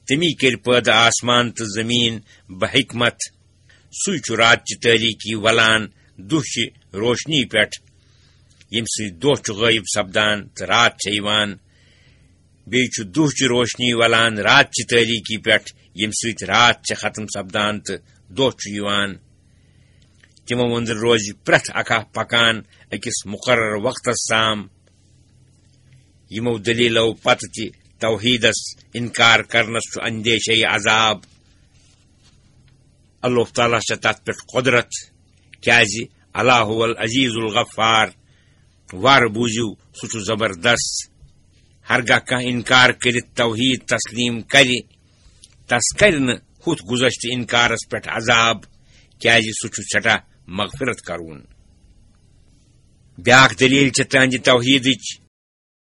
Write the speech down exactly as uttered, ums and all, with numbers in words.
تٔمی کٔرۍ پٲدٕ آسمان تہٕ زٔمیٖن بحکمت۔ سُے چھُ راتچہِ تٲریٖکی ولان دۄہچہِ روشنی پٮ۪ٹھ، ییٚمہِ سۭتۍ دۄہ چھُ غٲیب سپدان تہٕ راتھ چھےٚ یِوان۔ بیٚیہِ چھُ دۄہچہِ روشنی ولان راتچہِ تٲریٖکی پٮ۪ٹھ، ییٚمہِ سۭتۍ راتھ چھےٚ ختم سپدان تہٕ دۄہ چھُ یِوان۔ تِمو أنٛدرٕ روزِ پرٛٮ۪تھ اکھ اکھ پکان أکِس مُقرر وقتس تام۔ یِمو دٔلیٖلو پتہٕ تہِ توحیٖدس اِنکار کرنس چھُ اندیشے عذاب۔ اللہ تعالیٰ چھےٚ تتھ پٮ۪ٹھ قۄدرت، کیازِ اللہ هو العزیز الغفار۔ وارٕ بوٗزِو، سُہ چھُ زبردست۔ ہرگاہ کانٛہہ اِنکار کٔرِتھ توحیٖد تسلیٖم کرِ، تس کرِ نہٕ ہُتھ گُذشتہٕ اِنکارس پٮ۪ٹھ عذاب، کیازِ سُہ چھُ سٮ۪ٹھاہ مغفرت کرون۔ بیٛاکھ دٔلیٖل چھےٚ تہنٛدِ توحیٖدٕچ،